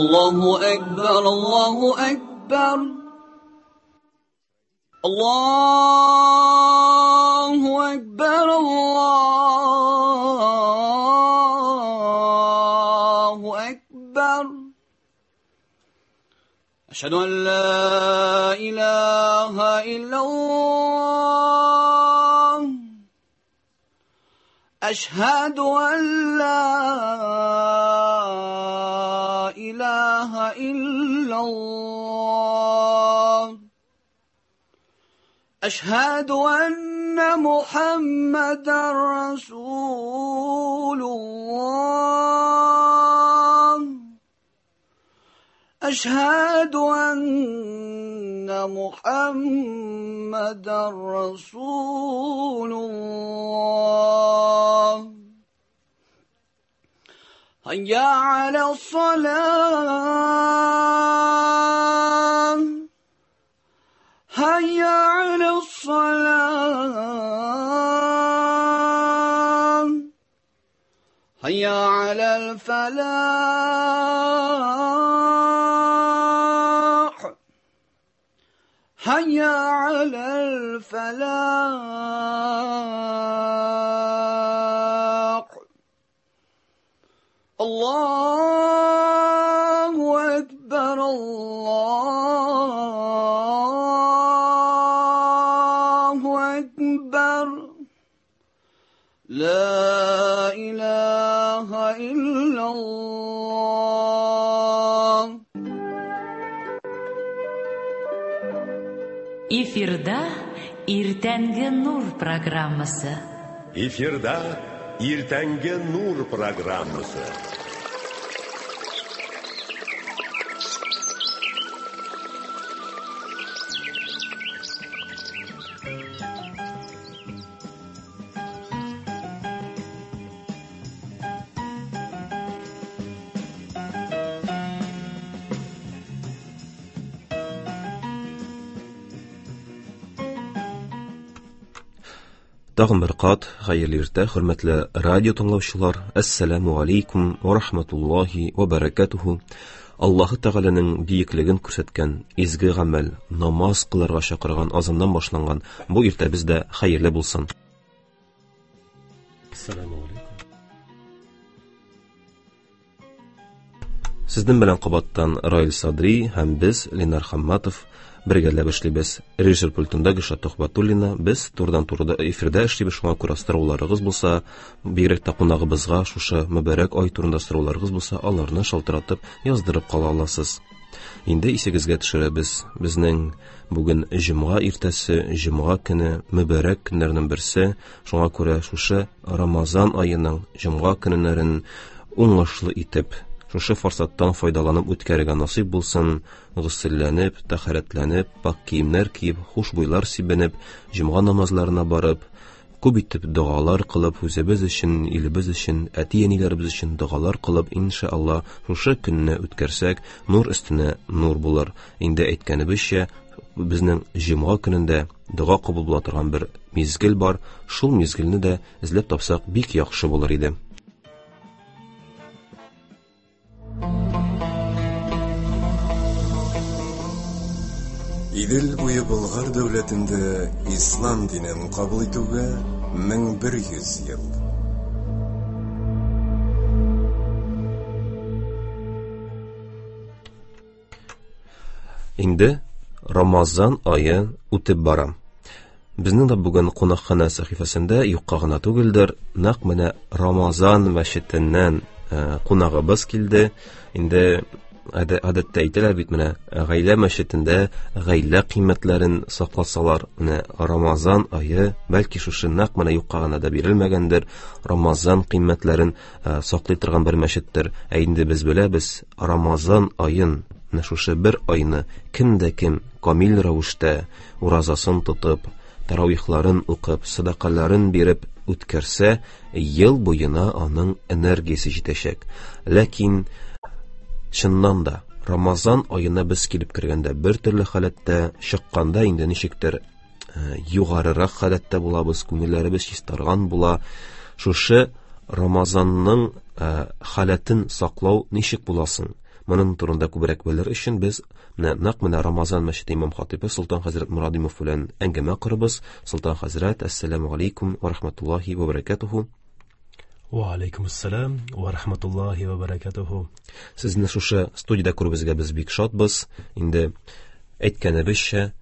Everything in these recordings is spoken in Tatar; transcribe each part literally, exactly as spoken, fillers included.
الله أكبر الله أكبر الله أكبر الله أكبر أشهد أن لا إله إلا الله أشهد أن لا إله إلا الله أشهد أن محمدا رسول الله أشهد أن محمدا رسول الله هيا على الصلاة هيا على الصلاة هيا على الفلاح هيا على الفلاح الله أكبر الله أكبر لا إله إلا الله. Эфирда Иртәнге Нур программасы. Эфирда Иртәнге Нур программасы. Тагын бер кат хәерле иртә, хөрмәтле радио тыңлаучылар. Әссәламу алейкум ва рахматуллахи ва баракатуху. Аллаһы Тәгаләнең биеклеген күрсәткән изге гамәл, намаз кылырга чакырган азаннан башланган бу иртәбез дә хәерле булсын. Әссәламу алейкум. Сезнең белән кабаттан Раил Садри һәм без Ленар Хамматов бергәләп эшлибез. Режиссер пультында Гөлшат Төхбәтуллина. Без турыдан-туры эфирдә эшлибез. Шуңа күрә сорауларыгыз булса, бигрәк тә кунагыбызга шушы мөбарәк ай турында сорауларыгыз булса, аларны шалтыратып яздырып кала аласыз. Инде исегезгә төшерәбез. Безнең бүген җомга иртәсе, җомга көне мөбарәк көннәрнең берсе. Шуңа күрә шушы Рамазан аеның җомга көннәрен уңышлы итеп, шушы форсаттан файдаланып үткәрергә насыйп булсын. Гөселләнеп, тәһарәтләнеп, пак киемнәр киеп, хушбуйлар сибенеп, җомга намазларына барып, күп итеп догалар кылып, үзебез өчен, илебез өчен, әти-әниләребез өчен догалар кылып, иншалла, шушы көнне үткәрсәк, нур өстенә нур булыр. Инде әйткәнебезчә, безнең җомга көнендә дога кабул була торган бер мизгел бар. Шул мизгелне дә эзләп тапсак, бик яхшы булыр иде. Идел буе Болгар дәүләтендә ислам динен кабул итүгә мең бер йөз ел. Инде Рамазан ае үтеп бара. Безнең дә бүген кунакханә сәхифәсендә юкка гына түгелдер, нәкъ менә Рамазан мәчетеннән кунагыбыз килде. Инде гадәттә әйтәләр бит, менә гаилә мәчетендә гаилә кыйммәтләрен сакласалар, менә Рамазан ае бәлки шушы нәкъ менә юкка гына да бирелмәгәндер, Рамазан кыйммәтләрен саклый торган бер мәчеттер. Ә инде без беләбез, Рамазан аен, менә шушы бер айны кем дә кем камил рәвештә уразасын тотып, таравихларын укып, садакаларын биреп үткәрсә, ел буена аның энергиясе җитәчәк. Ләкин чыннан да Рамазан аена без килеп кергәндә бер төрле халәттә, чыкканда инде ничектер югарырак халәттә булабыз, күңелләребез чистарган була. Шушы Рамазанның халәтен саклау ничек буласын? Моның турында күбрәк белер өчен без менә нәкъ менә Рамазан мәчете имам хатибы Солтан хәзрәт Мурадимов белән әңгәмә корабыз. Солтан хәзрәт, әссәламу алейкум ва рахматуллахи ва баракатуху. Ва алейкум ассалам ва рахматуллахи ва баракатуху. Сезне шушы студиядә күрүебезгә без бик шатбыз. Инде әйткәнебезчә,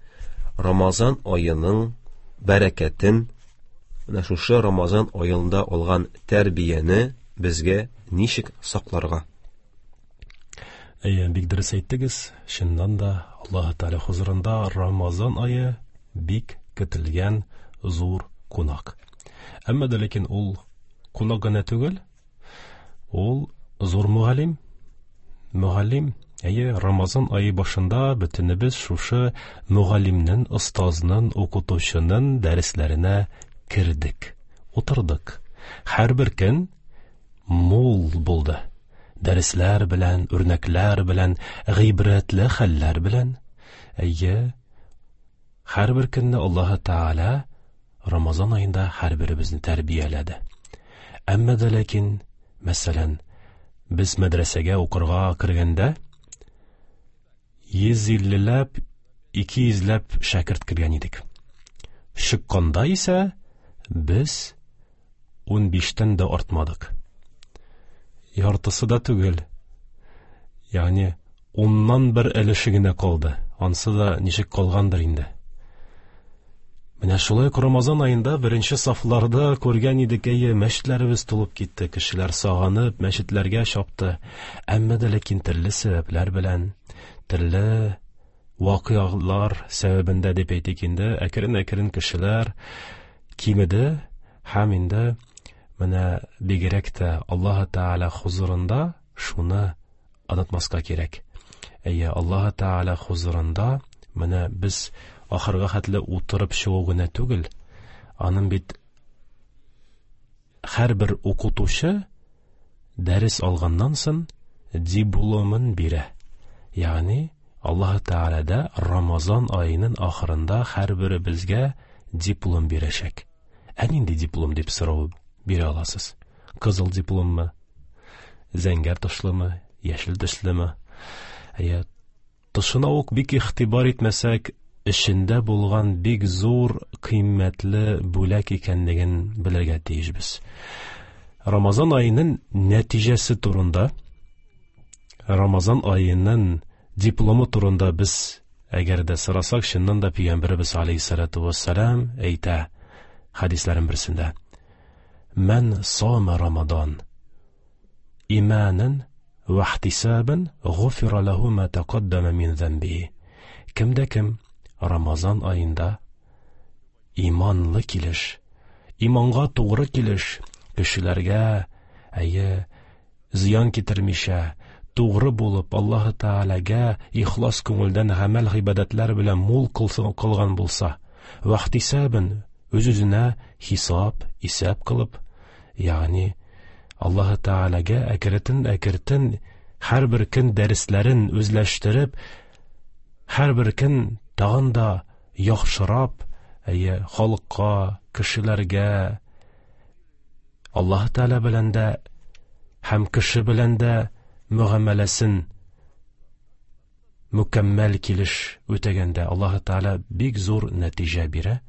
Рамазан аеның бәрәкәтен, менә шушы Рамазан аенда алган тәрбияне безгә ничек сакларга? Әйе, бик дөрес әйттегез. Чыннан да Аллаһ Тәгалә хузурында Рамазан ае бик көтелгән зур кунак. Әмма дә ләкин ул кунак гына түгел, ул зур мөгаллим. Мөгаллим, әйе, Рамазан ае башында бөтенебез шушы мөгаллимнең, остазның, укытучының дәресләренә кердек, утырдык. Һәрбер көн мул булды. Дәресләр белән, үрнәкләр белән, гыйбрәтле хәлләр белән. Әйе, һәрбер көнне Аллаһ Тәгалә Рамазан аенда һәрберебезне тәрбияләде. Әмма дә ләкин, мәсәлән, без мәдрәсәгә укырга кергәндә йөз иллеләп, ике йөзләп шәкерт кергән идек. Чыкканда исә без унбиштән дә артмадык. Яртысы да түгел. Ягъни уннан бер өлеше генә калды. Ансы да ничек калгандыр инде. Менә шулай ук Рамазан аенда беренче сафларда күргән идек, әйе, мәчетләребез тулып китте, кешеләр сагынып мәчетләргә чапты. Әмма дә ләкин төрле сәбәпләр белән, төрле вакыйгалар сәбәбендә дип әйтик инде, әкрен-әкрен кешеләр кимеде һәм инде менә бигрәк тә Аллаһ Тәгалә хузурында шуны онытмаска кирәк. Әйе, Аллаһ Тәгалә хузурында менә без ахырга хәтле утырып чыгу гына түгел, аның бит һәрбер укытучы дәрес алганнан соң дипломын бирә. Ягъни Аллаһ Тәгалә дә Рамазан аеның ахырында һәрберебезгә диплом бирәчәк. Ә нинди диплом дип сорау бирә аласыз? Кызыл дипломмы? Зәңгәр тышлымы? Яшел төслеме? Әйе, тышына ук бик игътибар итмәсәк, эчендә булган бик зур кыйммәтле бүләк икәнлеген белергә тиешбез. Рамазан аеның нәтиҗәсе турында, Рамазан аеның дипломы турында без әгәр дә сорасак, чыннан да Пәйгамбәребез алейһиссалату вассалам әйтә хәдисләрнең берсендә: Мән сама Рамадан иманан ва ихтисабан гуфира лаху ма тақаддама мин замбихи. Кемдә кем Рамазан аенда иманлы килеш, иманга тугры килеш, кешеләргә әйе зыян китермичә, тугры булып Аллаһ Тәгаләгә ихлас күңелдән гамәл гыйбадәтләр белән мул кылган булса, ва ихтисабан үз-үзенә хисап, исәп кылып, ягъни Аллаһ Тәгаләгә әкрен-әкрен һәрбер көн дәресләрен үзләштереп, һәрбер көн тагын да яхшырап, әйе, халыкка, кешеләргә, Аллаһ Тәгалә белән дә һәм кеше белән дә мөгамәләсен мөкәммәл килеш үтәгәндә Аллаһ Тәгалә бик зур нәтиҗә бирә.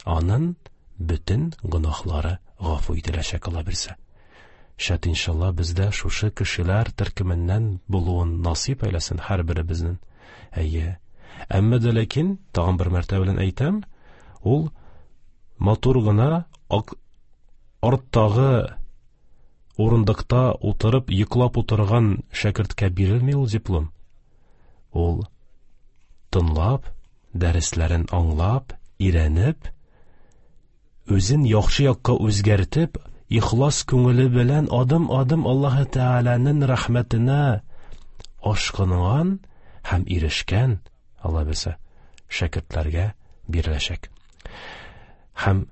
Аның бөтен гөнаһлары гафу ителәчәк, Алла бирсә. Шәт иншалла бездә шушы кешеләр төркеменнән булуын насыйп әйләсен һәрберебезнең. Әйе. Әмма дә ләкин тагын бер мәртәбә белән әйтәм, ул матур гына арттагы урындыкта утырып йоклап утырган шәкерткә бирелми ул диплом. Ул тыңлап, дәресләрен аңлап, өйрәнеп, үзен яхшы якка үзгәртеп, ихлас күңеле белән адым-адым Аллаһ Тәгаләнең рәхмәтенә ашкынган һәм ирешкән, Алла бирсә, шәкертләргә биреләчәк. Һәм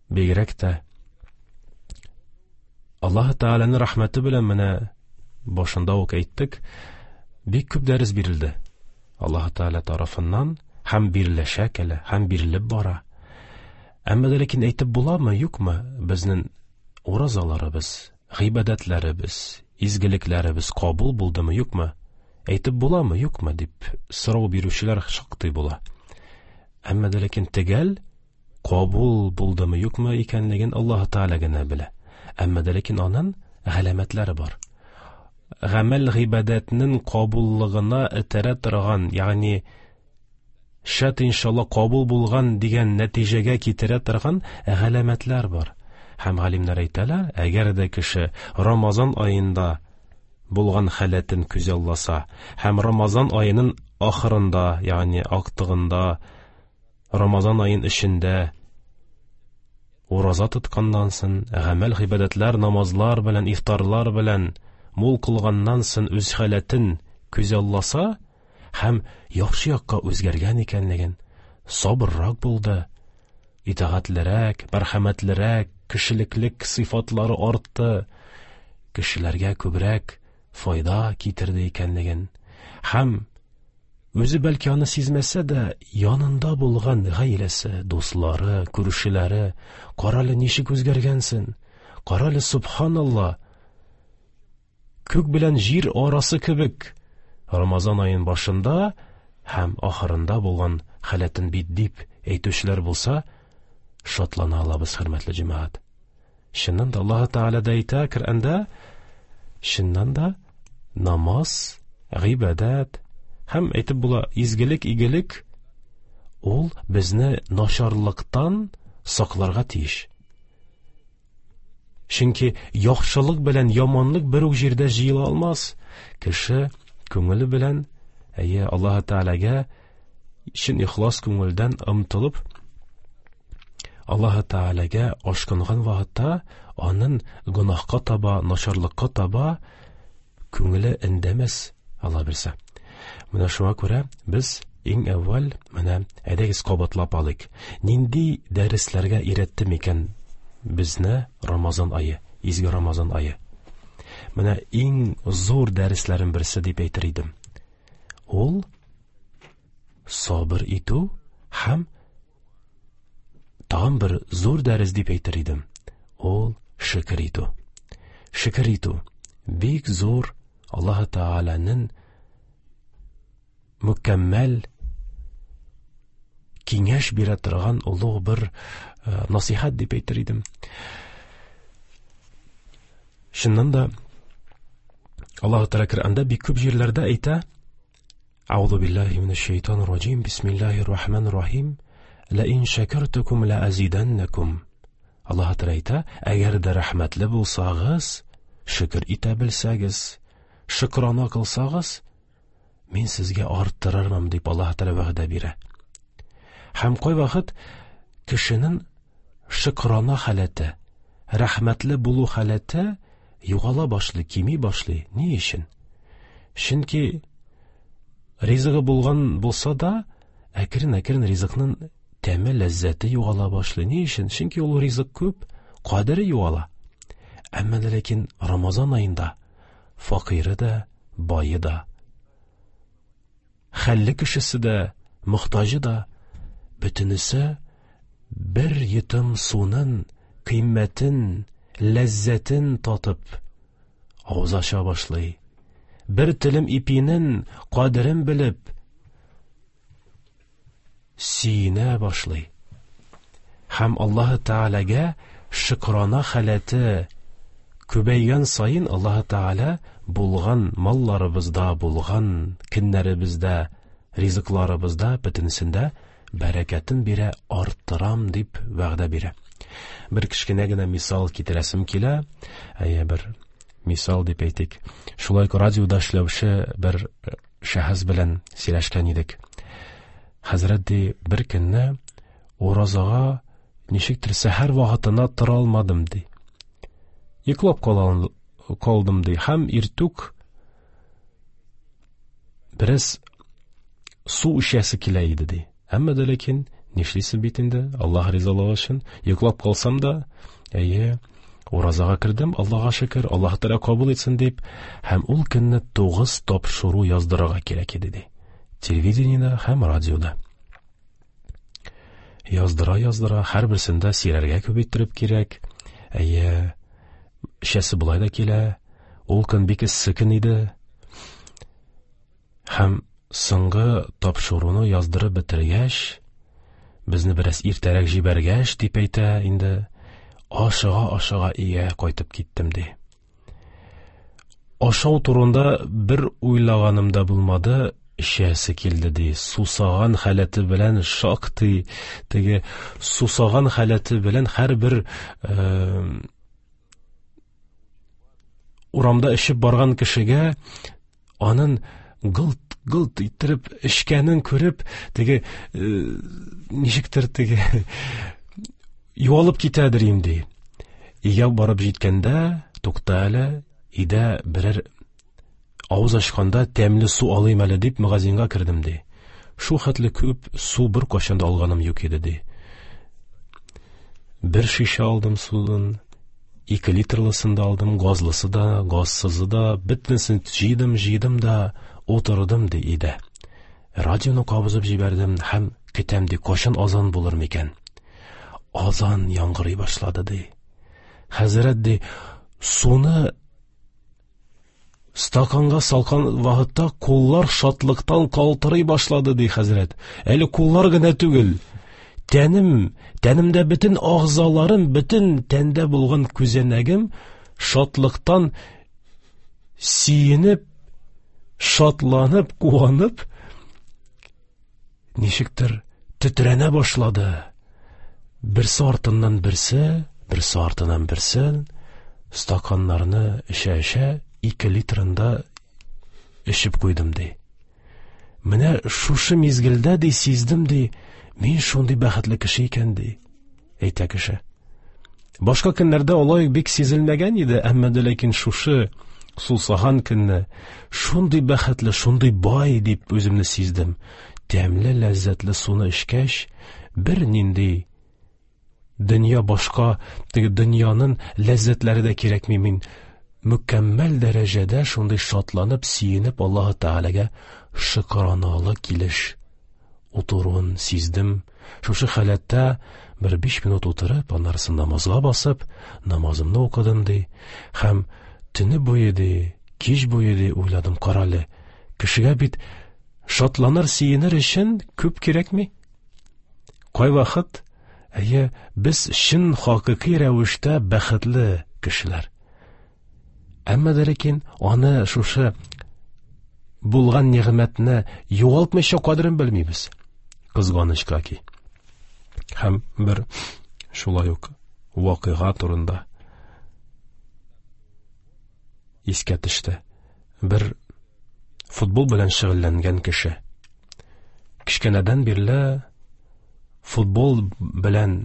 бигрәк тә Аллаһ Тәгаләнең рәхмәте белән менә башында ук әйттек, бик күп дәрес бирелде Аллаһ Тәгалә тарафыннан, һәм биреләчәк әле, һәм бирелеп бара. Әмма дә ләкин әйтеп буламы, юкмы, безнең Уразаларыбыз, гыйбадәтләребез, изгелекләребез кабул булдымы, юкмы? Әйтеп буламы, юкмы дип сорау бирүчеләр шактый була. Әмма дә ләкин төгәл кабул булдымы, юкмы икәнлеген Аллаһ Тәгалә генә белә. Әмма дә ләкин аның галәмәтләре бар. Гамәл гыйбадәтнең кабуллыгына этәрә торган, ягъни шәт иншалла кабул булган дигән нәтиҗәгә китерә торган галәмәтләр бар. Һәм галимнәр әйтәләр, әгәр дә кеше Рамазан аенда булган халәтен күзалласа һәм Рамазан аеның ахырында, ягъни актыгында, Рамазан аен эчендә ураза тотканнан соң, гамәл гыйбадәтләр, намазлар белән, ифтарлар белән мул кылганнан соң үз халәтен күзалласа һәм яхшы якка үзгәргән икәнлеген, сабыррак булды, итагатьлерәк, мәрхәмәтлерәк, кешелеклек сыйфатлары артты, кешеләргә күбрәк файда китерде икәнлеген һәм үзе бәлки аны сизмәсә дә, янында булган гаиләсе, дуслары, күршеләре, карале ничек үзгәргәнсең, карале субханалла, күк белән җир арасы кебек Рамазан аен башында һәм ахырында булган халәтен бит дип әйтүчеләр булса, шатлана алабыз, хөрмәтле җәмәгать. Чыннан да Аллаһ Тәгалә дә әйтә Коръәндә, чыннан да намаз, гыйбадәт һәм әйтеп була изгелек, игелек ул безне начарлыктан сакларга тиеш. Чөнки яхшылык белән яманлык бер үк җирдә җыела алмас. Кеше күңеле белән, әйе, Аллаһ Тәгаләгә чын ихлас күңелдән омтылып, Аллаһ Тәгаләгә ашкынган вакытта аның гөнаһка таба, начарлыкка таба күңеле эндәмәс, Алла бирсә. Менә шуңа күрә без иң әүвәл менә әйдәгез кабатлап алыйк. Нинди дәресләргә өйрәтте микән безне Рамазан ае, изге Рамазан ае? Менә иң зур дәресләрнең берсе дип әйтер идем. Ул сабыр итү һәм тагын бер зур дәрес дип әйтер идем. Ул шөкер итү. Шөкер итү бик зур Аллаһ Тәгаләнең мөкәммәл киңәш бирә торган олуг бер насыйхат дип әйтер идем. Чыннан да Аллаһ Тәгалә Коръәндә бик күп җирләрдә әйтә: Аузу биллаһи минәш шайтанир раҗим, бисмиллаһир рахманир рахим, ла ин шакартукум ла азиданнакум. Аллаһ Тәгалә әйтә, әгәр дә рәхмәтле булсагыз, шөкер итә белсәгез, шөкрана кылсагыз, мин сезгә арттырырмын дип Аллаһ Тәгалә вәгъдә бирә. Һәм кайвакыт кешенең шөкрана халәте, рәхмәтле булу халәте югала башлый, кими башлый. Ни өчен? Чөнки ризыгы булган булса да, әкрен-әкрен ризыкның тәме, ләззәте югала башлый. Ни өчен? Чөнки ул ризык күп, кадере югала. Әмма дә ләкин Рамазан аенда факире дә, бае да, хәлле кешесе дә, мохтаҗы да, бөтенесе бер йотым суның кыйммәтен, ләззәтен татып авыз ача башлый. Бер телем ипинең кадерен белеп сөенә башлый. Һәм Аллаһ Тәгаләгә шөкрана халәте күбәйгән саен Аллаһ Тәгалә булган малларыбызда, булган көннәребездә, ризыкларыбызда бөтенесендә бәрәкәтен бирә, арттырам дип вәгъдә бирә. Бер кечкенә генә мисал китерәсем килә. Әйе, бер мисал дип әйтик. Шулай ук радиода эшләүче бер шәхес белән сөйләшкән идек. Хәзрәт ди, бер көнне уразага ничектер сәхәр вакытына тора алмадым ди. Йоклап калдым ди. Һәм иртүк бераз су эчәсе килә иде ди. Әмма дә ләкин нишлисең бит инде, Аллаһ ризалыгы өчен йоклап калсам да, әйе, уразага кердем, Аллаһка шөкер, Аллаһ Тәгалә кабул итсен дип, һәм ул көнне тугыз тапшыру яздырырга кирәк иде ди. Телевидениедә һәм радиода. Яздыра яздыра, һәрберсендә сөйләргә күп иттереп кирәк. Әйе, Эчәсе болай да килә. Ул көн бик эссе көн иде. Һәм соңгы тапшыруны яздырып бетергәч, безне бераз иртәрәк җибәргәч, дип әйтә инде, ашыга-ашыга өйгә кайтып киттем, ди. Ашау турында бер уйлаганым да булмады, эчәсе килде, ди. Сусаган халәте белән шактый, теге сусаган халәте белән һәрбер, э, урамда эчеп барган кешегә анын гылт-гылт иттереп эчкәнен күреп, теге, э, ничектер теге юалып китәдер инде. Өйгә барып җиткәндә, тукта әле, өйдә берәр авыз ачканда тәмле су алыйм әле дип магазинга кердем, ди. Шу хәтле күп су бер кайчан да алганым юк иде, ди. Бер шешә алдым судан, ике литрлысын да алдым, газлысы да, газсызы да, бөтенесен җыйдым, җыйдым да утырдым, ди өйдә. Радионы кабызып җибәрдем һәм көтәм, ди, кайчан азан булыр микән? Азан яңгырый башлады, ди. Хәзрәт, ди, суны стаканга салкан вакытта куллар шатлыктан калтырый башлады, ди хәзрәт. Әле куллар гына түгел, тәнем, тәнемдә бөтен агъзаларым, бөтен тәндә булган күзәнәгем шатлыктан сөенеп, шатланып, куанып, ничектер тетрәнә башлады. Берсе артыннан берсе, берсе артыннан берсе стаканнарны эчә-эчә ике литрында эчеп куйдым, ди. Менә шушы мизгелдә, ди, сиздем, ди, мин шундый бәхетле кеше икән, ди, әйтә кеше. Башка көннәрдә алай бик сизелмәгән иде, әмма дә ләкин шушы сусаган көнне шундый бәхетле, шундый бай дип үземне сиздем. Тәмле, ләззәтле суны эчкәч, бер нинди дөнья башка, теге дөньяның ләззәтләре дә кирәкми. Мин мөкәммәл дәрәҗәдә шундый шатланып, сөенеп Аллаһы Тәгаләгә шөкраналы килеш утыруын сиздем. Шушы халәттә бер биш минут утырып, аннары намазга басып, намазымны укыдым, ди. Һәм төне буе, ди, кич буе, ди, уйладым, карале, кешегә бит шатланыр, сөенер өчен күп кирәкми. Кайвакыт, әйе, без чын хакыйкый рәвештә бәхетле кешеләр. Әмма дә ләкин аны шушы булган нигъмәтне югалтмыйча кадерен белмибез. Кызганычка ки. Һәм бер шулай ук вакыйга турында искә төште. Бер футбол белән шөгыльләнгән кеше. Кечкенәдән бирле футбол белән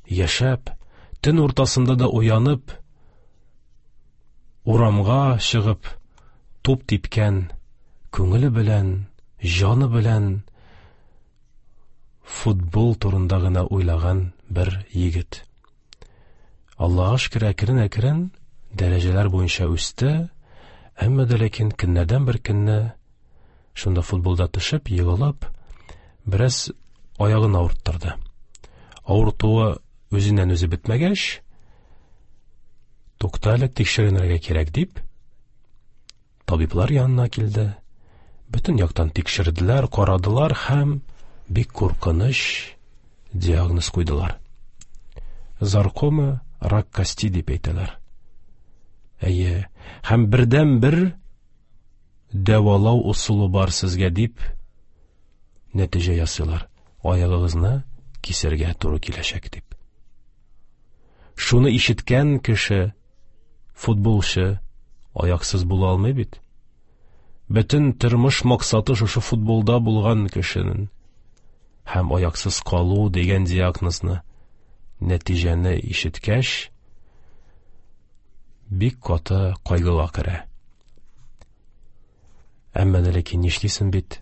яшәп, төн уртасында да уянып, урамга чыгып, туп типкән, күңеле белән, җаны белән футбол турында гына уйлаган бер егет. Аллаһка шөкер, әкрен-әкрен дәрәҗәләр буенча үсте, әмма дә ләкин көннәрдән бер көнне шунда футболда төшеп, егылып, бераз аягын авырттырды. Авыртуы үзеннән үзе бетмәгәч, тукта әле, тикшеренергә кирәк дип, табиблар янына килде. Бөтен яктан тикшерделәр, карадылар һәм бик куркыныч диагноз куйдылар. Саркома, рак кости дип әйтәләр. Әйе, һәм бердән бер дәвалау ысулы бар сезгә дип нәтиҗә ясыйлар. Аягыгызны кисәргә туры киләчәк дип. Шуны ишеткән кеше, футболчы, аяксыз була алмый бит. Бөтен тормыш максаты шушы футболда булган кешенең. Һәм аяксыз калу дигән диагнозны, нәтиҗәне ишеткәч, бик каты кайгыга керә. Әмма дә ләкин нишлисең бит?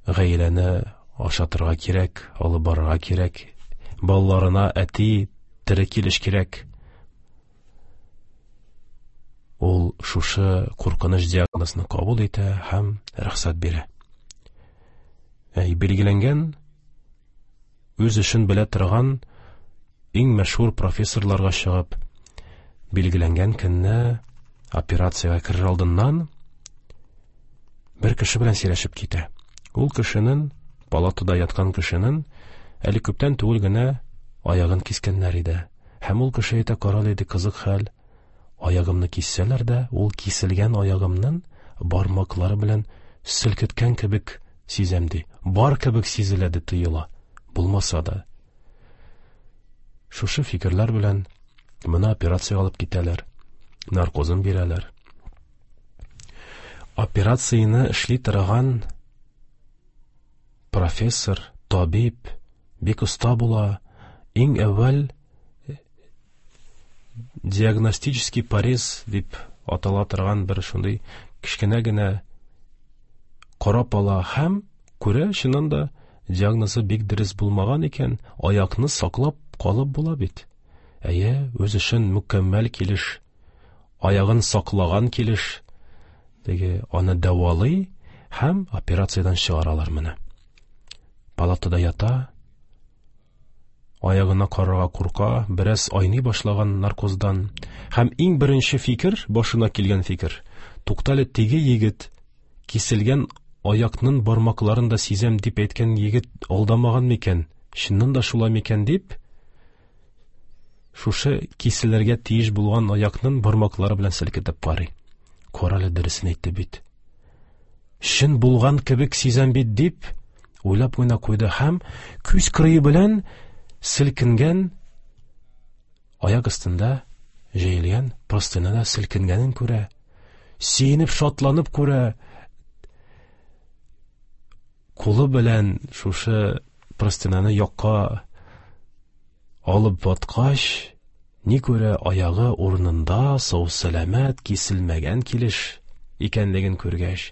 Гаиләне ашатырга кирәк, алып барырга кирәк, балаларына әти тере килеш кирәк. Ул шушы куркыныч диагнозны кабул итә һәм рөхсәт бирә. Әй, билгеләнгән, үз эшен белә торган иң мәшһүр профессорларга чыгып, Билгеләнгән көнне операциягә керер алдыннан бер кеше белән сөйләшеп китә. Ул кешенең, палатада яткан кешенең әле күптән түгел генә аягын кискәннәр иде. Һәм ул кеше әйтә, карал иде, кызык хәл, аягымны киссәләр дә, ул киселгән аягымның бармаклары белән селкеткән кебек сизәм ди. Бар кебек сизелә ди, тоела. Булмаса да. Шушы фикерләр белән моны операция алып китәләр, наркозын бирәләр. Операцияне эшли торган профессор, табиб бик оста була. Иң әүвәл диагностический порез дип атала торган бер шундый кечкенә генә карап ала һәм күрә, чыннан да диагнозы бик дөрес булмаган икән, аякны саклап калып була бит. Әйе, үз эшен мөкәммәл килеш, аягын саклаган килеш, теге аны дәвалый һәм операциядән чыгаралар моны. Палатада ята, аягына карарга курка, бераз айный башлаган наркоздан. Һәм иң беренче фикер, башына килгән фикер, туктале, теге егет киселгән аякның бармакларын да сизәм дип әйткән егет алдамаган микән, чыннан да шулай микән дип, шушы киселергә тиеш булган аякның бармаклары белән селкетеп карый. Карале, дөресен әйтте бит. Чын булган кебек сизәм бит дип уйлап куйна куйды һәм күз кырые белән селкенгән аяк өстендә җәелгән простыняда селкенгәнен күрә, сөенеп, шатланып күрә. Кулы белән шушы простыняны якка алып баткач, ни күрә, аягы урынында, сау-сәламәт, киселмәгән килеш икәнлеген күргәч,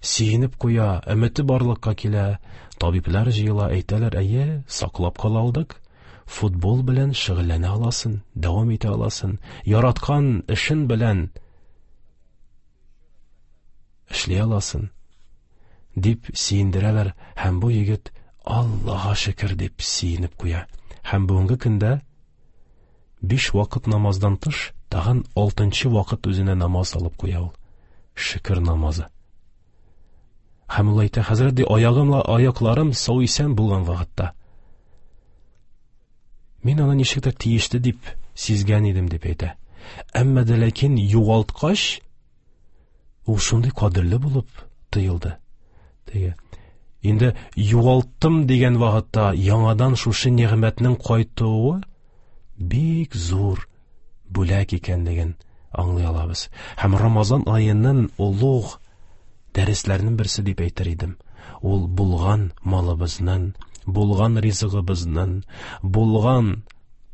сөенеп куя, өмете барлыкка килә. Табиблар җыела, әйтәләр, әйе, саклап кала алдык, футбол белән шөгыльләнә аласың, дәвам итә аласың, яраткан эшен белән эшли аласың, дип сөендерәләр. Һәм бу егет Аллаһка шөкер дип сөенеп куя. Һәм бүгенге көндә биш вакыт намаздан тыш тагын алтынчы вакыт үзенә намаз алып куя ул. Шөкер намазы. Һәм ул әйтә, хәзрәт, ди, аягымла аякларым сау исән булган вакытта мин аны ничек тә тиешле дип сизгән идем, дип әйтә. Әмма дә ләкин югалткач, ул шундый кадерле булып тоелды. Теге инде югалттым дигән вакытта яңадан шушы нигъмәтнең кайтуы бик зур бүләк икәнлеген аңлый алабыз. Һәм Рамазан аеның олуг дәресләренең берсе дип әйтер идем. Ул булган малыбызның, булган ризыгыбызның, булган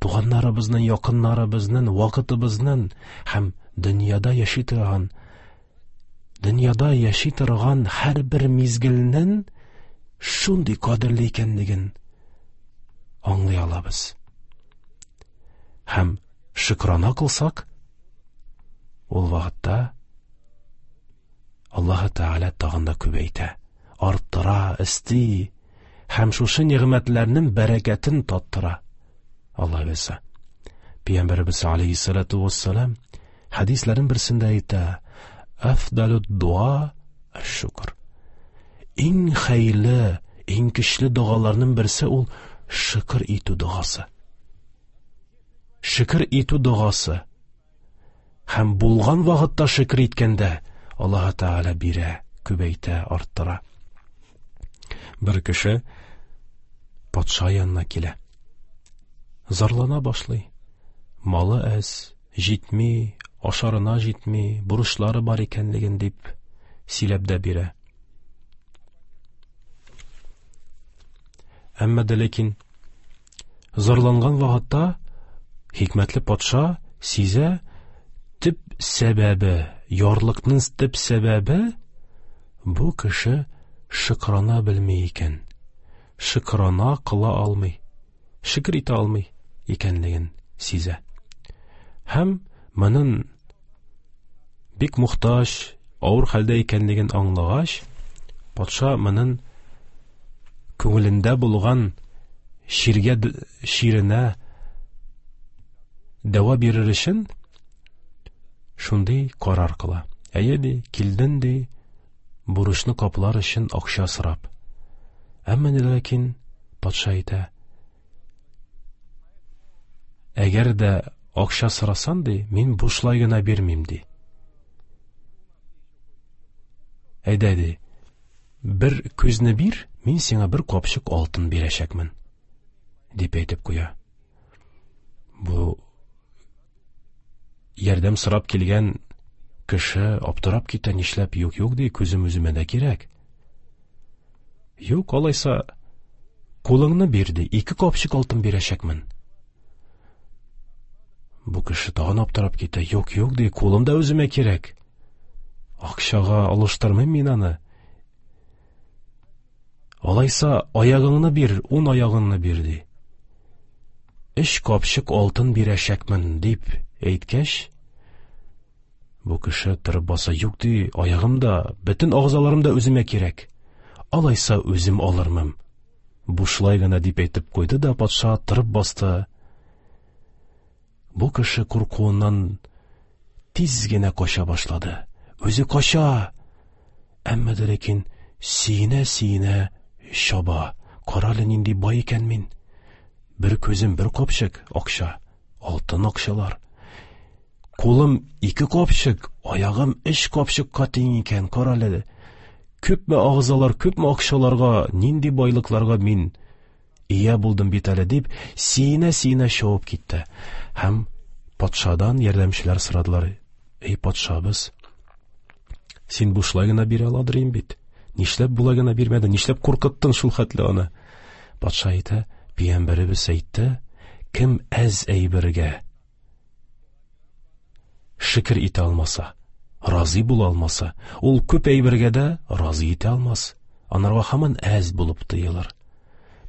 туганнарыбызның, якыннарыбызның, вакытыбызның һәм дөньяда яши торган, дөньяда яши торган һәрбер мизгелнең шундый кадерле икәнлеген аңлый алабыз. Һәм шөкрана кылсак, ул вакытта Аллаһ Тәгалә тагын да күбәйтә, арттыра, өсти һәм шушы нигъмәтләрнең бәрәкәтен таттыра. Алла бирсә. Пәйгамбәребез алейһиссалату вассалам хәдисләрнең берсендә әйтә: "Афдалуд дуа аш-шукр." Иң хәерле, иң көчле догаларның берсе ул шөкер итү догасы. Шөкер итү догасы. Һәм булган вакытта шөкер иткәндә Аллаһ Тәгалә бирә, күбәйтә, арттыра. Бер кеше патша янына килә. Зарлана башлый. Малы әз, җитми, ашарына җитми, бурычлары бар икәнлеген дип сөйләп дә бирә. Әмма дә ләкин зарланган вакытта хикмәтле патша сизә, төп сәбәбе, ярлыкның төп сәбәбе бу кеше шөкрана белми икән, шөкрана кыла алмый, шөкер итә алмый икәнлеген сизә. Һәм моның бик мохтаҗ, авыр хәлдә икәнлеген аңлагач, патша моның күңелендә булган чиргә, чиренә дәва бирер өчен шундый карар кыла. Әйе, ди, килден, ди, бурычны каплар өчен акча сорап. Әмма ләкин патша әйтә: әгәр дә акча сорасан, ди, мин бушлай гына бирмим, ди. Әйдә, ди, бер күзне бир, мин сиңа бер капчык алтын бирәчәкмен, дип әйтеп куя. Бу ярдәм сорап килгән кеше аптырап китә, нишләп юк, юк, ди, күзем үземә дә кирәк. Юк, алайса кулыңны бир, ди, ике капчык алтын бирәчәкмен. Бу кеше тагын аптырап китә, юк, юк, ди, кулым да үземә кирәк. Акчага алыштырмыйм мин аны. Алайса аягыңны бир, ун аягыңны бир, ди. Өч капчык алтын бирәчәкмен, дип әйткәч, бу кеше торып баса, юк, ди, аягым да, бөтен агзаларым да үземә кирәк. Алайса үзем алырмын. Бушлай гына, дип әйтеп куйды да патша торып басты. Бу кеше куркуыннан тиз генә кача башлады. Үзе кача, әмма дә ләкин сөенә-сөенә чаба. Карале, нинди бай икән мин. Бер күзем бер капчык акча, алтын акчалар. Кулым ике капчык, аягым өч капчыкка тиң икән, карале. Күпме агзалар, күпме акчаларга, нинди байлыкларга мин ия булдым бит әле, дип сөенә-сөенә чабып китте. Һәм патшадан ярдәмчеләр сорадылар: "Эй, патшабыз, син бушлай гына бирә аладыр инде бит. Нишләп болай гына бирмәдең? Нишләп куркыттың шул хәтле аны?" Патша әйтә: "Пәйгамбәребез әйтте, кем әз әйбергә шөкер итә алмаса, разый була алмаса, ул күп әйбергә дә разый итә алмас. Анарга һаман әз булып тоелыр.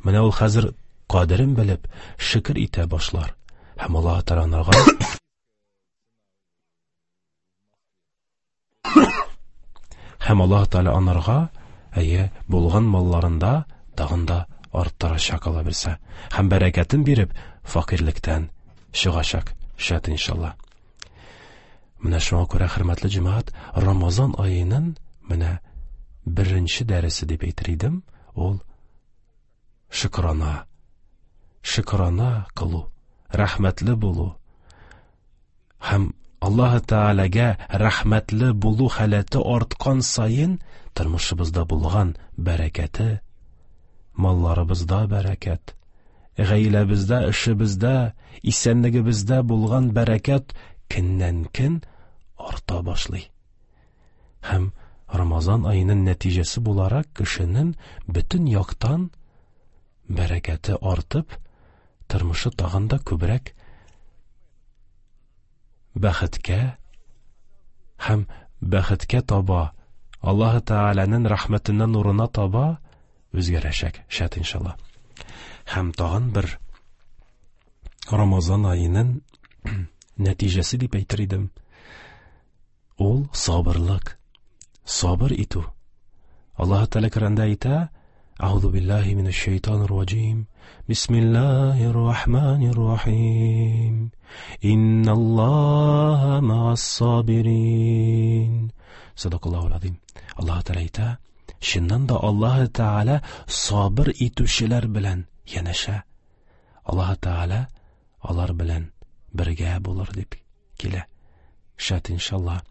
Менә ул хәзер кадерен белеп, шөкер итә башлар. Һәм Аллаһ Тәгалә анарга һәм Аллаһ Тәгалә анарга әйе булган малларында тагын да арттырачак, ала белсә, һәм бәрәкәтен биреп факирлектән чыгачак, шәт иншалла. Менә шуңа күрә, хөрмәтле җәмәгать, Рамазан аеның менә беренче дәресе дип әйтер идем, ул шөкрана. Шөкрана кылу, рәхмәтле булу. Һәм Аллаһ Тәгаләгә рәхмәтле булу халәте арткан саен тормышыбызда булган бәрәкәте, малларыбызда бәрәкәт, гаиләбездә, эшебездә, исәнлегебездә булган бәрәкәт көннән-көн арта башлый. Һәм Рамазан аеның нәтиҗәсе буларак кешенең бөтен яктан бәрәкәте артып, тормышы тагын да күбрәк бәхеткә һәм бәхеткә таба, Аллаһ Тәгаләнең рәхмәтеннән нурына таба үзгәрәчәк, шәт иншалла. Һәм тагын бер Рамазан аеның нәтиҗәсе дип әйтер идем, ул сабырлык, сабыр итү. Аллаһ Тәгалә Коръәндә әйтә: Әгъузу биллаһи минәш шайтанир раҗим. Бисмиллаһир рахманир рахим. Инналлаһа ма'ас сабирин. Садакаллаһул азим. Аллаһ Тәгалә әйтә: чыннан да Аллаһ Тәгалә сабыр итүчеләр белән янәшә. Аллаһ Тәгалә алар белән бергә булыр дип килә. Шәт иншалла.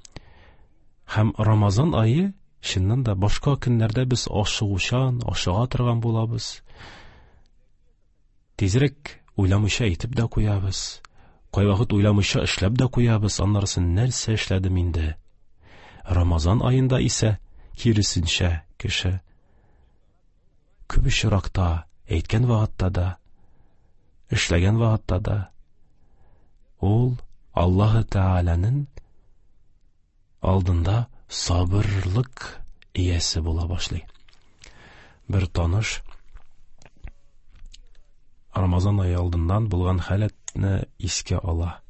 Һәм Рамазан ае чыннан да башка көннәрдә без ашыгучан, ашыга торган булабыз. Тизрәк уйламыйча әйтеп дә куябыз. Кайвакыт уйламыйча эшләп дә куябыз. Аннарысын нәрсә эшләдем инде? Рамазан аенда исә киресенчә кеше күп очракта әйткән вакытта да, эшләгән вакытта да ул Аллаһ Тәгаләнең алдында сабырлык иясе була башлый. Бер таныш Рамазан ае алдыннан булган халәтне искә ала.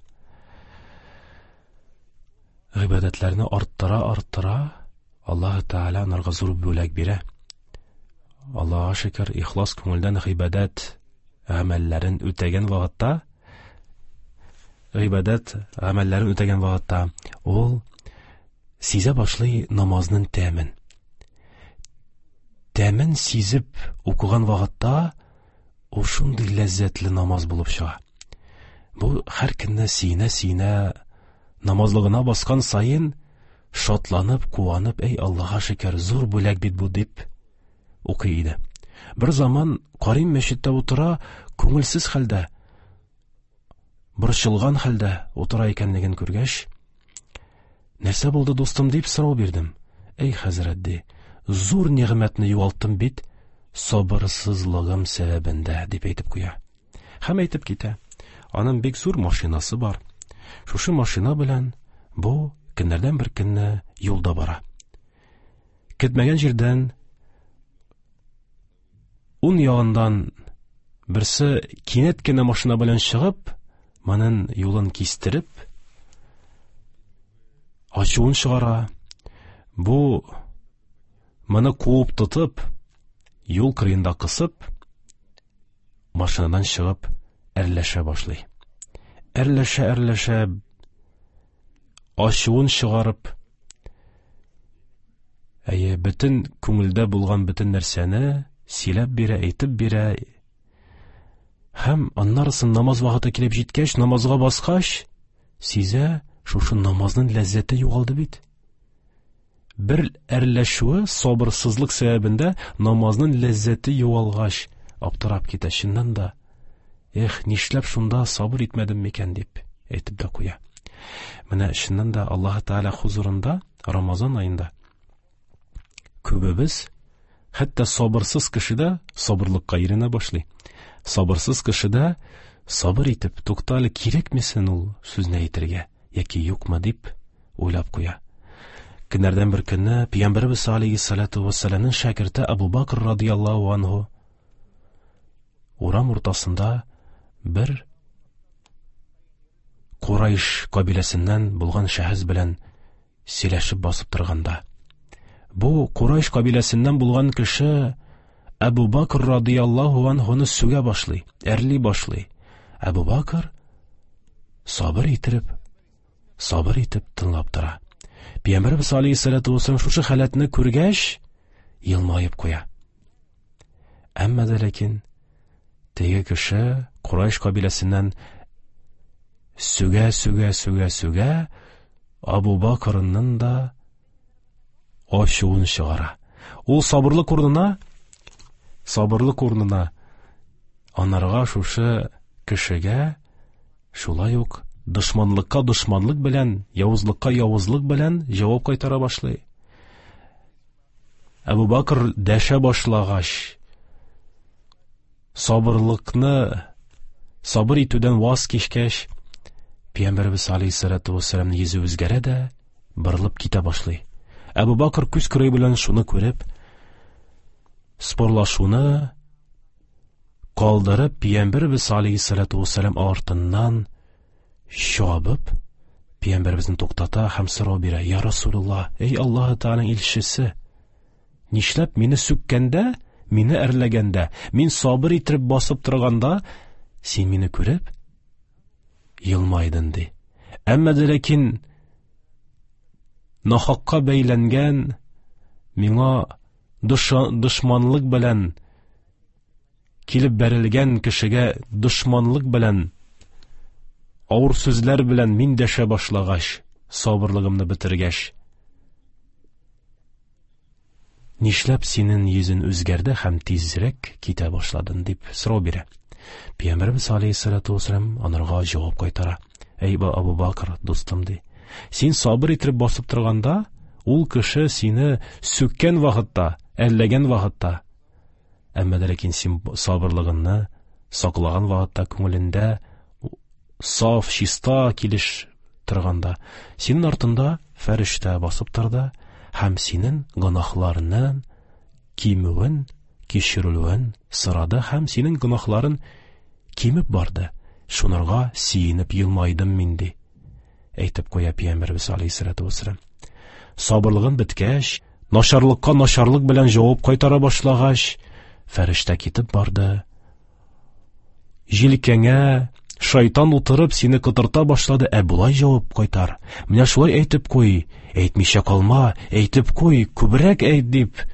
Гыйбадәтләрне арттыра арттыра Аллаһ Тәгалә анарга зур бүләк бирә. Аллаһка шөкер, ихлас күңелдән гыйбадәт гамәлләрен үтәгән вакытта гыйбадәт гамәлләрен үтәгән вакытта ул сизә башлый намазның тәмен. Тәмен сизеп укыган вакытта ул шундый ләззәтле намаз булып чыга. Бу һәр көнне сөенә-сөенә намазлыгына баскан саен шатланып, куанып, эй Аллаһка шөкер, зур бүләк бит бу дип укый иде. Бер заман карыйм мәчеттә утыра, күңелсез хәлдә, борчылган хәлдә утыра икәнлеген күргәч, нәрсә булды, дустым, дип сорау бирдем. Эй, хәзрәт, ди, зур нигъмәтне югалттым бит, сабырсызлыгым сәбәбендә, дип әйтеп куя. Һәм әйтеп китә. Аның бик зур машинасы бар. Шушы машина белән бу көннәрдән бер көнне юлда бара. Көтмәгән җирдән ун ягыннан берсе кинәт кенә машина белән чыгып, моның юлын кистереп, ачуын чыгара. Бу моны куып тотып, юл кырыенда кысып, машинадан чыгып әрләшә башлый. Әрләшә, әрләшә, ачуын чыгарып, әйе, бөтен күңелдә булган бөтен нәрсәне сөйләп бирә, әйтеп бирә. Һәм аннарысын намаз вакыты килеп җиткәч, намазга баскач, сизә, шушы намазның ләззәте югалды бит. Бер әрләшүе сабырсызлык сәбәбендә намазның ләззәте югалгач, аптырап китә. Чыннан да, эх, нишләп шунда сабыр итмәдем микән дип әйтеп дә куя. Менә чыннан да Аллаһ Тәгалә хузурында Рамазан аенда күбебез, хәтта сабырсыз кеше дә сабырлыкка өйрәнә башлый. Сабырсыз кеше дә сабыр итеп, тукта әле, кирәкме соң ул сүзне әйтергә яки юкмы дип уйлап куя. Көннәрдән бер көнне Пәйгамбәребез алейһиссалату вассаламның шәкерте Абу Бакр радияллаһу анһу урам уртасында бер Курайш кабиләсеннән булган шәхес белән сөйләшеп басып торганда, бу Курайш кабиләсеннән булган кеше Әбу Бакр радияллаһу анһуны сүгә башлый, әрли башлый. Әбу Бакр сабыр итеп, сабыр итеп тыңлап тора. Пәйгамбәребез алейһиссалату вассалам шушы халәтне күргәч, елмаеп куя. Әмма дә ләкин теге кеше Курайш кабиләсеннән сүгә, сүгә, сүгә, сүгә Абу Бакрның да ачуын чыгара. Ул сабырлык урынына, сабырлык урынына анарга шушы кешегә шулай ук дошманлыкка дошманлык белән, явызлыкка явызлык белән җавап кайтара башлый. Әбу Бакр дәшә башлагач, сабырлыкны сабыр итүдән ваз кичкәч, Пәйгамбәребез алейһиссалату вассаламның йөзе үзгәрә дә борылып китә башлый. Әбу Бакр күз кырые белән шуны күреп, спорлашуны калдырып, Пәйгамбәребез алейһиссалату вассалам артыннан чабып, Пәйгамбәребезне туктата һәм сорау бирә: "Я Расулуллаһ, эй Аллаһ Тәгаләнең илчесе, нишләп мине сүккәндә, мине әрләгәндә, мин сабыр итеп басып торганда, син мине күреп елмайдың?" ди. Әмма дә ләкин нахакка бәйләнгән, миңа дошманлык белән килеп бәрелгән кешегә дошманлык белән, авыр сүзләр белән мин дәшә башлагач, сабырлыгымны бетергәч, нишләп синең йөзең үзгәрде һәм тизрәк китә башладың дип сорау бирә. Пәйгамбәребез алейһиссалату вассалам анарга җавап кайтара: "Әй Абу Бакр, дустым, ди, син сабыр итеп басып торганда, ул кеше сине сүккән вакытта, әрләгән вакытта, әмма дә ләкин син сабырлыгыңны саклаган вакытта, күңелендә саф, чиста килеш торганда, синең артында фәрештә басып торды һәм синең гөнаһларының кимүен, кичерелүен сорады һәм синең гөнаһларың кимеп барды. Шунарга сөенеп елмайдым мин", ди. Әйтеп куя Пәйгамбәребез алейһиссалату вассалам. Сабырлыгын беткәч, начарлыкка начарлык белән җавап кайтара башлагач, фәрештә китеп барды. Җилкәңә Шайтан утырып сине котырта башлады, ә болай җавап кайтар. Менә шулай әйтеп куй, әйтмичә калма, әйтеп куй, күбрәк әйт дип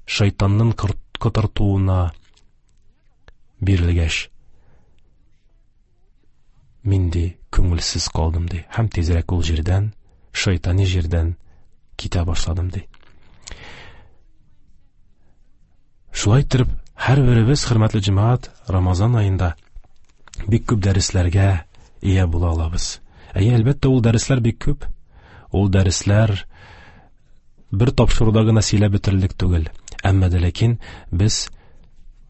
шайтанның котыртуына бирелгәч, мин ди күңелсез калдым ди. Һәм тизрәк ул җирдән, шайтани җирдән китә башладым ди. Шулай итеп, һәрберебез, хөрмәтле җәмәгать, Рамазан аенда бик күп дәресләргә ия була алабыз. Әйе, әлбәттә, ул дәресләр бик күп. Ул дәресләр бер тапшыруда гына сөйләп бетерерлек түгел. Әмма дә ләкин без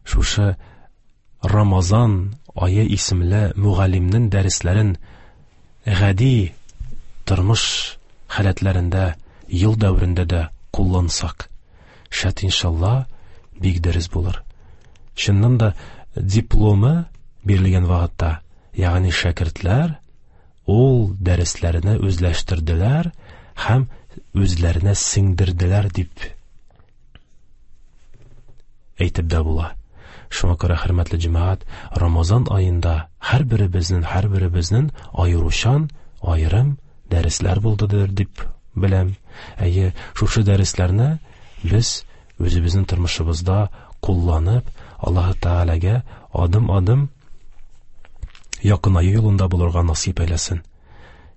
шушы Рамазан ае исемле мөгаллимнең дәресләрен гади тормыш халәтләрендә, ел дәверендә дә куллансак, шәт иншалла бик дөрес булыр. Чыннан да дипломы бирелгән вакытта, ягъни шәкертләр ул дәресләрне үзләштерделәр һәм үзләренә сеңдерделәр дип әйтеп дә була. Шуңа күрә, хөрмәтле җәмәгать, Рамазан аенда һәрберебезнең, һәрберебезнең аеручан, аерым дәресләр булдыдыр дип беләм. Әйе, шушы дәресләрне без үзебезнең тормышыбызда кулланып, Аллаһ Тәгаләгә адым-адым якынаю юлында булырга насыйп әйләсен.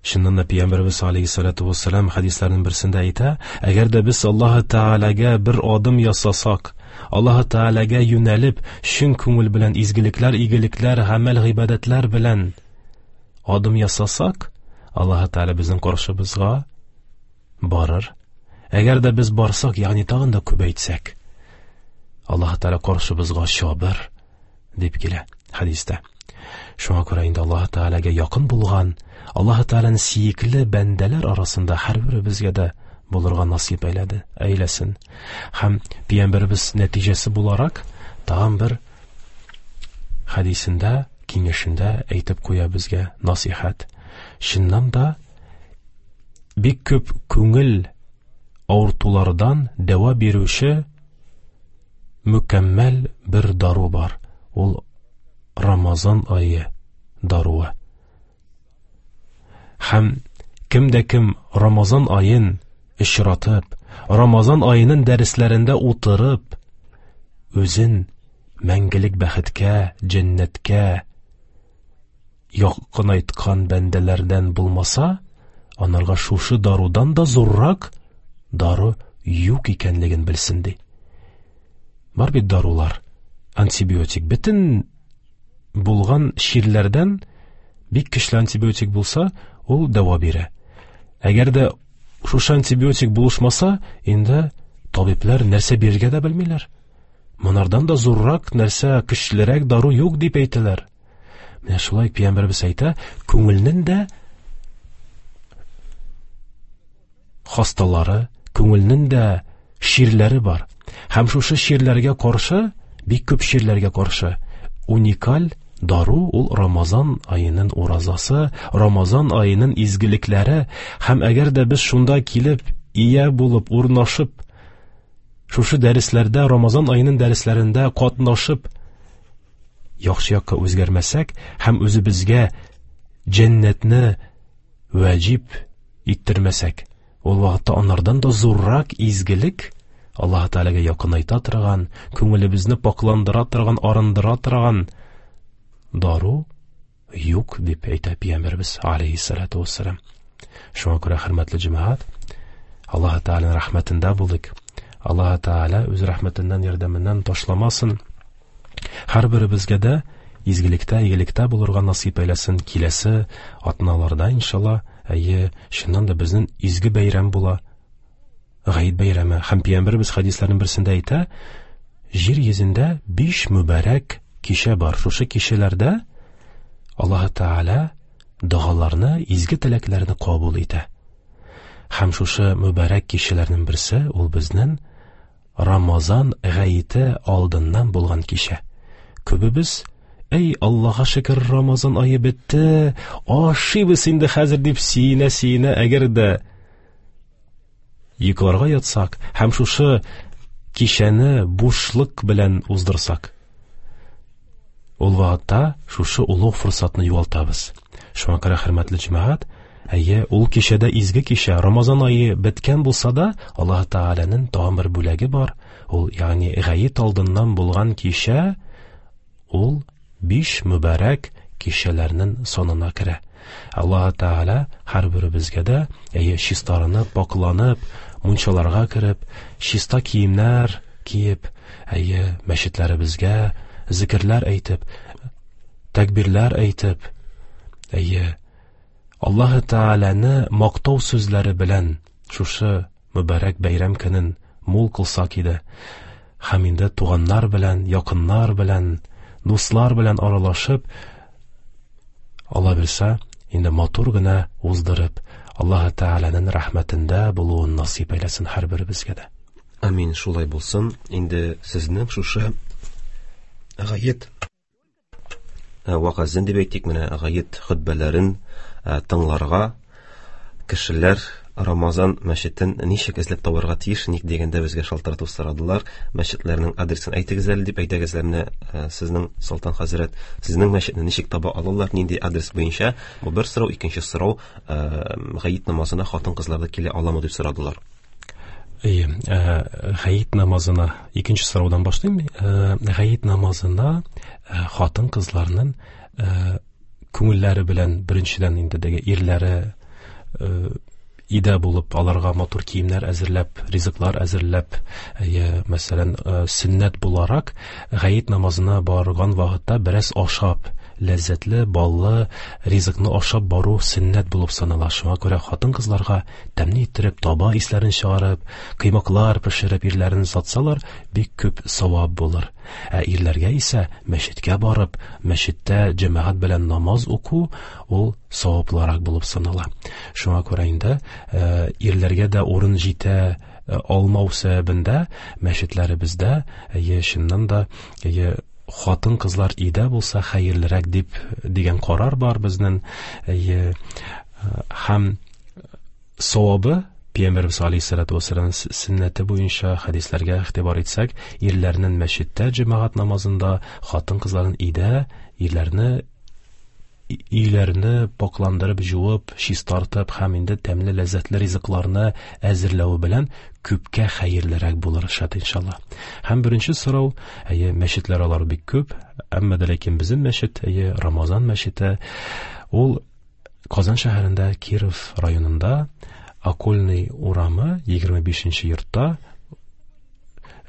Чыннан да Пәйгамбәребез алейһиссалату вассалам хәдисләренең берсендә әйтә, әгәр дә без Аллаһ Тәгаләгә бер адым ясасак, Аллаһ Тәгаләгә юнәлеп, чын күңел белән изгелекләр, игелекләр, гамәл, гыйбадәтләр белән адым ясасак, Аллаһ Тәгалә безнең каршыбызга барыр. Әгәр дә без барсак, ягъни тагын да күбәйтсәк, Аллаһ Тәгалә каршыбызга чабыр дип килә хәдистә. Шуңа күрә инде Аллаһ Тәгаләгә якын булган, Аллаһ Тәгаләнең сөекле бәндәләр арасында һәрберебезгә дә булырга насыйп әйләде, әйләсен. Һәм Пәйгамбәребез нәтиҗәсе буларак тагын бер хәдисендә, киңәшендә әйтеп куя безгә насыйхат. Чыннан да бик күп күңел авыртулардан дәва бирүче мөкәммәл бер дару бар. Ул Рамазан ае даруы. Һәм кем дә кем Рамазан аен очратып, Рамазан аеның дәресләрендә утырып, үзен мәңгелек бәхеткә, җәннәткә якынайткан бәндәләрдән булмаса, анарга шушы дарудан да зуррак дару юк икәнлеген белсен ди. Бар бит дарулар, антибиотик. Бөтен булган чирләрдән бик көчле антибиотик булса, ул дәва бирә. Әгәр дә шушы антибиотик булышмаса, инде табиблар нәрсә бирергә дә белмиләр. Монардан да зуррак нәрсә, көчлерәк дару юк дип әйтәләр. Менә шулай Пәйгамбәребез әйтә, күңелнең дә хасталары, күңелнең дә чирләре бар. Һәм шушы чирләргә каршы, бик күп чирләргә каршы уникаль дару ул Рамазан аеның уразасы, Рамазан аеның изгелекләре. Һәм әгәр дә без шунда килеп, ия булып, урнашып, шушы дәресләрдә, Рамазан аеның дәресләрендә катнашып, яхшы якка үзгәрмәсәк һәм үзебезгә җәннәтне вәҗиб иттермәсәк, ул вакытта анардан да зуррак изгелек, Аллаһ Тәгаләгә якынайта торган, күңелебезне пакландыра торган, арындыра торган дару юк дип әйтә Пәйгамбәребез алейһиссалату вассалам. Шуңа күрә, хөрмәтле җәмәгать, Аллаһ Тәгаләнең рәхмәтендә булыйк. Аллаһ Тәгалә үз рәхмәтеннән, ярдәменнән ташламасын. Һәрберебезгә дә изгелектә, игелектә булырга насыйп әйләсен. Киләсе атналарда иншалла, әйе, чыннан да безнең изге бәйрәм була. Гает бәйрәме. Һәм Пәйгамбәребез хәдисләренең берсендә әйтә, җир йөзендә биш мөбарәк кичә бар. Шушы кичәләрдә Аллаһ Тәгалә догаларны, изге теләкләрне кабул итә. Һәм шушы мөбарәк кичәләрнең берсе ул безнең Рамазан гаете алдыннан булган кичә. Күбебез, эй, Аллаһка шөкер, Рамазан ае бетте, ашыйбыз инде хәзер дип сөенә-сөенә, әгәр дә йокларга ятсак һәм шушы кичәне бушлык белән уздырсак, Ул вакытта шушы олуг форсатны югалтабыз. Шуңа күрә, хөрмәтле җәмәгать, әйе, ул кичәдә изге кичә, Рамазан ае беткән булса да, Аллаһ Тәгаләнең тагын бер бүләге бар. Ул, ягъни гает алдыннан булган кичә, ул биш мөбарәк кичәләрнең санына керә. Аллаһ Тәгалә һәрберебезгә дә, әйе, чистарынып, пакланып, мунчаларга кереп, чиста киемнәр киеп, әйе, мәчетләребезгә зикерләр әйтеп, тәкбирләр әйтеп, әйе, Аллаһ Тәгаләне мактау сүзләре белән шушы мөбарәк бәйрәм көнен мул кылсак иде. Һәм инде туганнар белән, якыннар белән, дуслар белән аралашып, Алла бирсә, инде матур гына уздырып, Аллаһ Тәгаләнең рәхмәтендә булуын насыйп әйләсен һәрберебезгә дә. Амин, шулай булсын. Инде сезнең шушы гает вәгазен дип әйтик, менә гает хөтбәләрен тыңларга кешеләр Рамазан мәчетен ничек эзләп табарга тиеш, ник дигәндә безгә шалтыратып сорадылар. Мәчетләрнең адресын әйтегез әле дип әйтегез әле, менә сезнең Солтан хәзрәт, сезнең мәчетне ничек таба алалар, нинди адрес буенча? Бу бер сорау. Икенче сорау, гает намазына хатын-кызлар да килә аламы дип сорадылар. Әйе, гает намазына икенче сораудан башлыйм. Гает намазына хатын-кызларның күңелләре белән беренчедән инде теге ирләре идә булып, аларга матур киемнәр әзерләп, ризыклар әзерләп, әйе, мәсәлән, сөннәт буларак гает намазына барган вакытта бераз ашап, ләззәтле, баллы ризыкны ашап бару сөннәт булып санала. Шуңа күрә хатын-кызларга тәмле иттереп, таба исләрен чыгарып, кыймаклар пешереп ирләрен сатсалар, бик күп савап булыр. Ә ирләргә исә мәчеткә барып, мәчеттә җәмәгать белән намаз уку ул саваплырак булып санала. Шуңа күрә инде ирләргә дә урын җитә алмау сәбәбендә мәчетләребездә, әйе, чыннан да, әйе, хатын-кызлар өйдә булса хәерлерәк дип дигән карар бар безнең. Әйе, һәм савабы Пәйгамбәребез алейһиссалату вассалам сөннәте буенча хәдисләргә игътибар итсәк, ирләрнең мәчеттә җәмәгать намазында, хатын-кызларның өйдә, ирләрне өйләрне пакландырып, жуып, чистартып һәм инде тәмле ләззәтле ризыкларны әзерләве белән күпкә хәерлерәк булыр шат иншалла. Һәм беренче сорау, әйе, мәчетләр алар бик күп, әмма дә ләкин безнең мәчет, әйе, Рамазан мәчете, ул Казан шәһәрендә Киров районында Окольный урамы егерме бишенче йортта,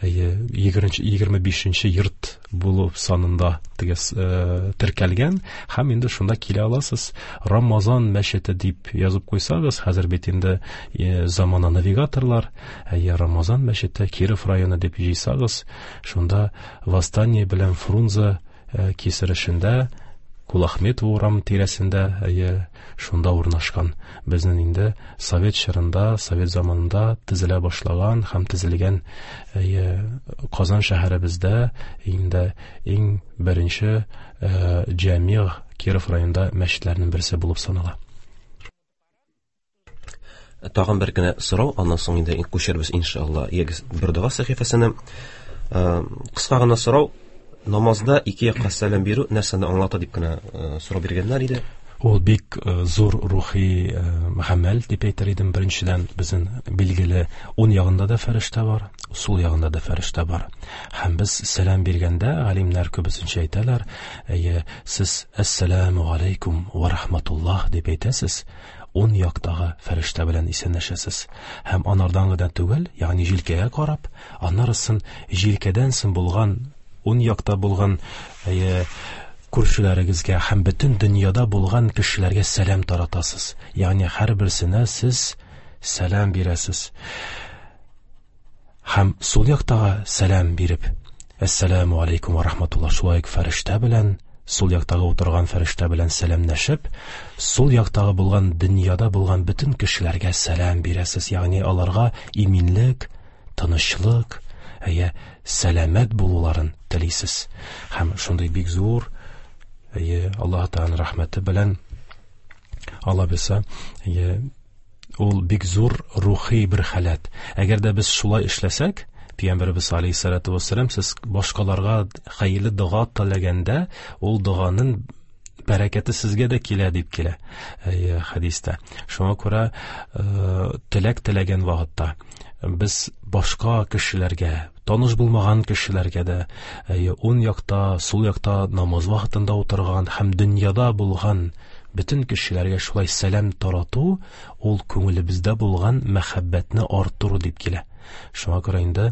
әйе, егерме бишенче йорт булып санында теге, э, теркәлгән, һәм инде шунда килә аласыз. Рамазан мәчете дип язып куйсагыз, хәзер бит инде, э, замана навигаторлар, әйе, Рамазан мәчете Киров районы дип җыйсагыз, шунда Восстание белән Фрунзе, э, кисерешендә Кулахметова урам тирәсендә, әйе, шунда урнашкан. Безнең инде совет чорында, совет заманында төзелә башлаган һәм төзелгән, әйе, Казан шәһәребездә инде иң беренче, э, җәмигъ Киров районында мәчетләрнең берсе булып санала. Тагын бер генә сорау, аннан соң инде күчербез иншалла егез бер дога сәхифәсенә. Э, кыска гына сорау, намазда ике якка сәлам бирү нәрсәне аңлата дип кенә, э, сорау биргәннәр иде. Ул бик, э, зур рухи, э, гамәл дип әйтер идем. Беренчедән, безнең билгеле уң ягында да фәрештә бар, сул ягында да фәрештә бар. Һәм без сәлам биргәндә галимнәр күбесенчә әйтәләр, әйе, сез әссәламу алейкум ва рахматуллаһ дип әйтәсез, уң яктагы фәрештә белән исәнләшәсез. Һәм анардан гына түгел, ягъни җилкәгә карап, анарысын җилкәдән соң булган уң якта булган, әйе, күршеләрегезгә һәм бөтен дөньяда булган кешеләргә сәлам таратасыз. Ягъни һәрберсенә сез сәлам бирәсез. Һәм сул яктагы сәлам биреп, әссәламу алейкум ва рахматуллаһ, шулай ук фәрештә белән, сул яктагы утырган фәрештә белән сәламләшеп, сул яктагы булган дөньяда булган бөтен кешеләргә сәлам бирәсез. Ягъни аларга иминлек, тынычлык, әйе, сәламәт булуларын телисез. Һәм шундый бик зур, әйе, Аллаһ Тәгаләнең рәхмәте белән, Алла бирсә, әйе, ул бик зур рухи бер халәт. Әгәр дә без шулай эшләсәк, Пәйгамбәребез алейһиссалату вассалам, сез башкаларга хәерле дога теләгәндә, ул доганың бәрәкәте сезгә дә килә дип килә хәдистә. Шуңа күрә теләк теләгән вакытта без башка кешеләргә, таныш булмаган кешеләргә дә, уң якта, сул якта намаз вакытында утырган һәм дөньяда булган бөтен кешеләргә шулай сәлам тарату, ул күңелебездә булган мәхәббәтне арттыру дип килә. Шуңа күрә инде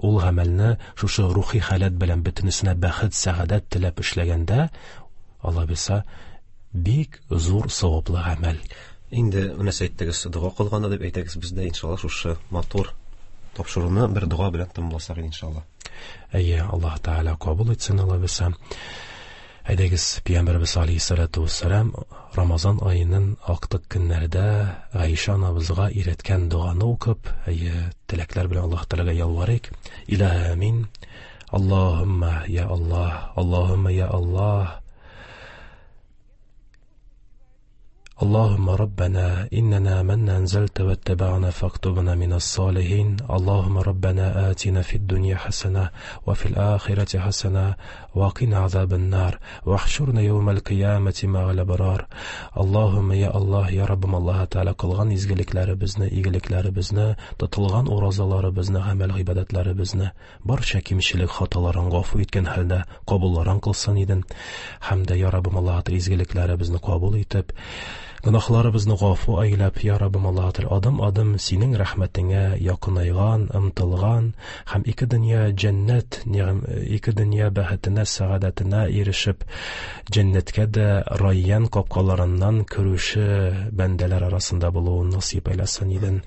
ул гамәлне шушы рухи халәт белән бөтенесенә бәхет, сәгадәт теләп эшләгәндә, Алла бирсә, бик зур саваплы гамәл. Инде менә әйттегез, дога кылганда дип әйтәгез, без дә иншалла шушы матур тапшыруны бер дога белән тәмамласак иншалла. Әйе, Аллаһ Тәгалә кабул итсен, Алла бирсә. Әйдәгез, Пәйгамбәребез алейһиссалату вассалам Рамазан аеның актык көннәрендә Гайшә анабызга өйрәткән доганы укып, әйе, теләкләр белән Аллаһ Тәгаләгә ялварыйк. Илаһи амин. Аллаһумма я Аллаһ, Аллаһумма я Аллаһ. اللهم ربنا إننا من أنزلت واتبعنا فاكتبنا من الصالحين. اللهم ربنا آتنا في الدنيا حسنة وفي الآخرة حسنة وقنا عذاب النار واحشرنا يوم القيامة مع الأبرار. اللهم يا الله يا ربم الله تعالى قılgan izgiliklarimizni, iyiliklarimizni, tutulgan orazalarimizni, amal ibodatlarimizni barcha kimchilik xatolarini g'afu etgan holda qabullarin qilsin edin. Hamda ya Rabbim Alloh taolo izgiliklarimizni qabul etib, Гөнаһларыбызны гафу әйләп, я Раббым Аллаһ Тәгалә, адым-адым синең рәхмәтеңә якынайган, ымтылган һәм ике дөнья җәннәт, ике дөнья бәхетенә, сәгадәтенә ирешеп, җәннәткә дә Райян капкаларыннан керүче бәндәләр арасында булуын насыйп әйләсен иден.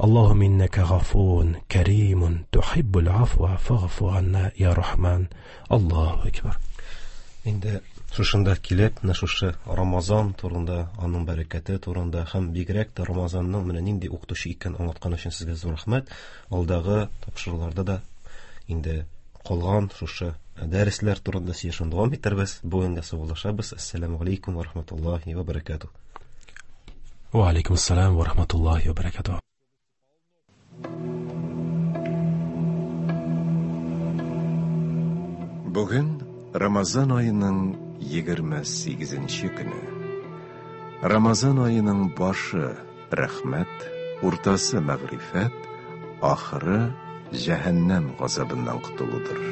Аллаһумма иннәкә гафуун каримун тухиббул афва фагфу анна я Рахман. Аллаһу акбар. Инде шушында килеп, менә шушы Рамазан турында, аның бәрәкәте турында һәм бигрәк тә Рамазанның менә нинди укытучы икәнен аңлаткан өчен сезгә зур рәхмәт. Алдагы тапшыруларда да инде калган шушы дәресләр турында сөйләшүне дәвам итәрбез. Бүгенгә саубуллашабыз. Ассаламу алейкум ва рахматуллахи ва баракатух. Ва алейкум ассалам ва рахматуллахи ва баракатух. Бүген Рамазан айының егерме сигезенче көне. Рамазан айының башы рәхмәт, уртасы мәгърифәт, ахыры җәһәннәм газабыннан котылудыр.